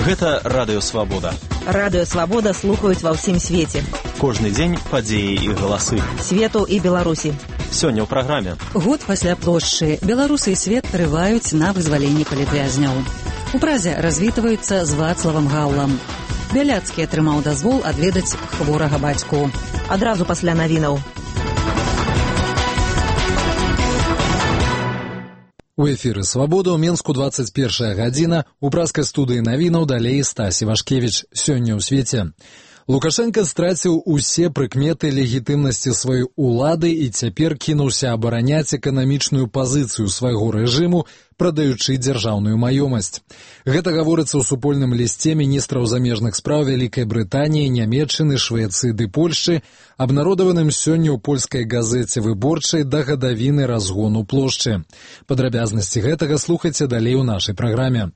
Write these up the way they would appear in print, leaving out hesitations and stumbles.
Гэта Радыё Свабода. Радыё Свабода слухаюць ва ўсім свеце. Кожны дзень падзеі і галасы. Свету і Беларусі. Сёння ў праграме. Год пасля плошчы. Беларусы і свет трываюць на вызваленне палітвязняў. У Празе развітваюцца з Вацлавам Гаўлам. Бяляцкі атрымаў дазвол адведаць хворага бацьку. Адразу пасля навінаў. У эфіры «Свабода» ў Менску 21 гадзіна. У празкай студыі навінаў далей Стась Івашкевіч. Сёння ў свеце. Лукашенко страціў усе прыкметы легітымнасці сваёй улады і цяпер кінуўся абараняць эканамічную пазіцыю свайго рэжыму, прадаючы дзяржаўную маёмасць. Гэта гаворыцца ў супольным лісце міністраў замежных спраў Вялікай Брытаніі, Нямецчыны, Швецыі ды Польшчы, абнародаваным сёння ў польскай газеце «Выборчай» да гадавіны разгону плошчы. Падрабязнасці гэтага слухайце далей у нашай праграме.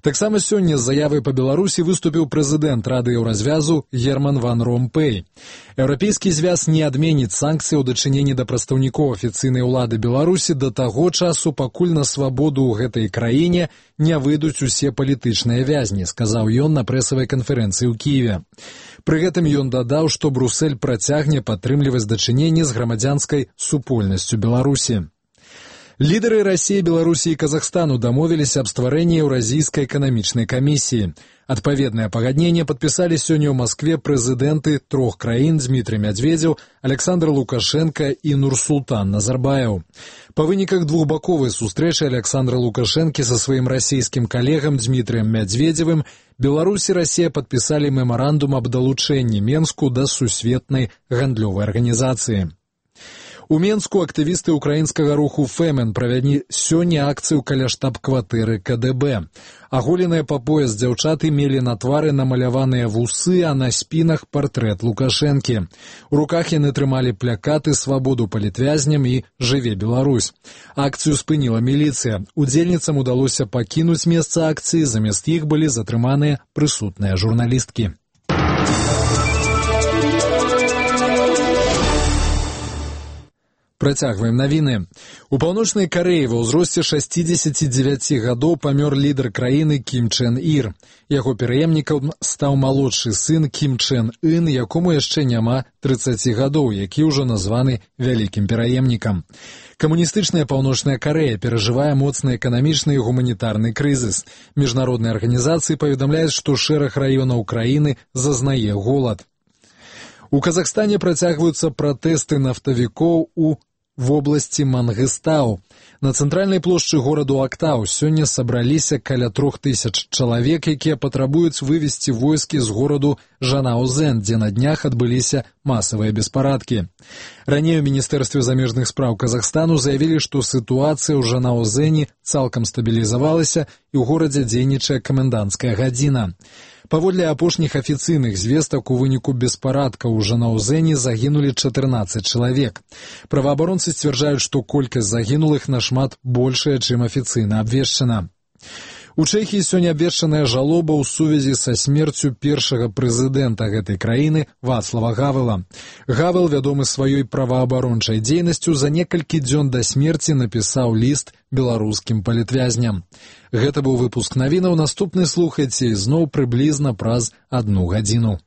Таксама сёння з заявай па Беларусі выступіў прэзідэнт Рады Еўразвязу Герман ван Ромпэй. Еўрапейскі звяз не адменіць санкцыі ў дачыненні да прадстаўнікоў афіцыйнай улады Беларусі да таго часу, пакуль на свабоду ў гэтай краіне не выйдуць усе палітычныя вязні, сказаў ён на прэсавай канферэнцыі ў Кіеве. Пры гэтым ён дадаў, што Брусэль працягне падтрымліваць дачыненні з грамадзянскай супольнасцю Беларусі. Лідары Расіі, Беларусі і Казахстану дамовіліся аб стварэнні Еўразійскай эканамічнай камісіі. Адпаведнае пагадненне падпісалі сёння ў Маскве прэзідэнты трох краін Дмітрый Мядзведзеў, Александр Лукашенко і Нурсултан Назарбаев. Па выніках двухбаковай сустрэчы Александра Лукашэнкі са сваім расійскім калегам Дмітрыем Мядзведзевым Беларусь і Расія падпісалі мемарандум аб далучэнні Менску да сусветнай гандлёвай арганізацыі. У Менску актывісты украінскага руху «Фэмен» правялі сёння акцыю каля штаб-кватэры КДБ. Аголеныя па пояс дзяўчаты мелі на твары намаляваныя вусы, а на спінах партрэт Лукашэнкі. У руках яны трымалі плакаты «Свабоду палітвязням» і «Жыве Беларусь». Акцыю спыніла міліцыя. Удзельніцам удалося пакінуць месца акцыі, замест іх былі затрыманыя прысутныя журналісткі. Працягваем навіны. У Паўночнай Карэі ва ўзросце 69 гадоў памёр лідар краіны Кім Чен Ір. Яго пераемнікам стаў малодшы сын Кім Чен Ын, якому яшчэ няма 30 гадоў, які ўжо названы вялікім пераемнікам. Камуністычная Паўночная Карэя перажывае моцны эканамічны і гуманітарны крызіс. Міжнародныя арганізацыі паведамляюць, што шэраг раёнаў краіны зазнае голад. У Казахстане працягваюцца пратэсты нафтавікоў у вобласці Мангыстау. На цэнтральнай плошчы гораду Актау сёння сабраліся каля 3000 чалавек, якія патрабуюць вывесці войскі з гораду Жанаузен, дзе на днях адбыліся масавыя беспарадкі. Раней у Міністэрстве замежных спраў Казахстану заявілі, што сітуацыя ў Жанаузені цалкам стабілізавалася і ў горадзе дзейнічае каменданцкая гадзіна. Паводле апошніх афіцыйных звестак, у выніку беспарадкаў у Жанаузені загінулі 14 чалавек. Праваабаронцы сцвярджаюць, што колькасць загінулых нашмат большая, чым афіцыйна абвешчана. У Чэхіі сёння абвешчаная жалоба ў сувязі са смерцю першага прэзідэнта гэтай краіны Вацлава Гавела. Гавел, вядомы сваёй праваабарончай дзейнасцю, за некалькі дзён да смерці напісаў ліст беларускім палітвязням. Гэта быў выпуск навінаў. Наступны слухайце ізноў прыблізна праз 1 гадзіну.